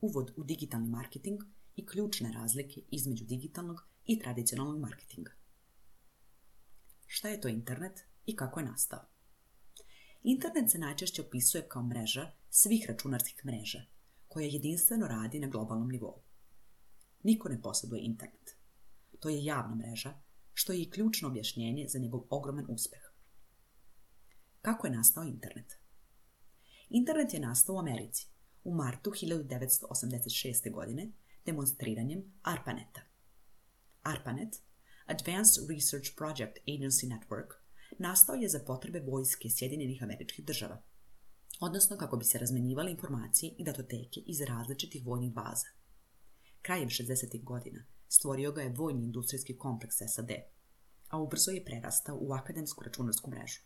uvod u digitalni marketing i ključne razlike između digitalnog i tradicionalnog marketinga. Šta je to internet i kako je nastao? Internet se najčešće opisuje kao mreža svih računarskih mreža, koja jedinstveno radi na globalnom nivou. Niko ne posjeduje internet. To je javna mreža, što je i ključno objašnjenje za njegov ogroman uspeh. Kako je nastao internet? Internet je nastao u Americi u martu 1986. godine demonstriranjem ARPANET-a. ARPANET, Advanced Research Project Agency Network, nastao je za potrebe vojske Sjedinjenih Američkih Država, odnosno kako bi se razmenjivale informacije i datoteke iz različitih vojnih baza. Krajem 60. godina stvorio ga je vojni industrijski kompleks SAD, a ubrzo je prerastao u akademsku računarsku mrežu.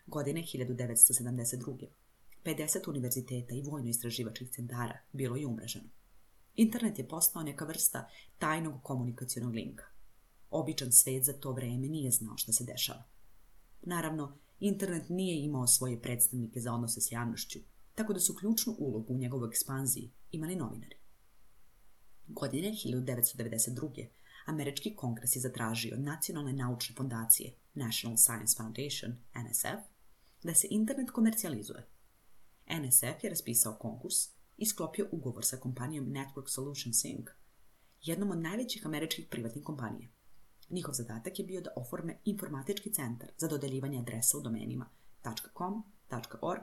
Godine 1972. 50 univerziteta i vojno-istraživačkih centara bilo je umreženo. Internet je postao neka vrsta tajnog komunikacionog linka. Običan svet za to vreme nije znao šta se dešava. Naravno, internet nije imao svoje predstavnike za odnose s javnošću, tako da su ključnu ulogu u njegovoj ekspanziji imali novinari. Godine 1992. Američki kongres je zatražio od Nacionalne naučne fondacije National Science Foundation, NSF, da se internet komercijalizuje. NSF je raspisao konkurs i sklopio ugovor sa kompanijom Network Solutions Inc., jednom od najvećih američkih privatnih kompanija. Njihov zadatak je bio da oforme informatički centar za dodeljivanje adresa u domenima .com, .org,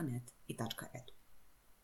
.net i .edu.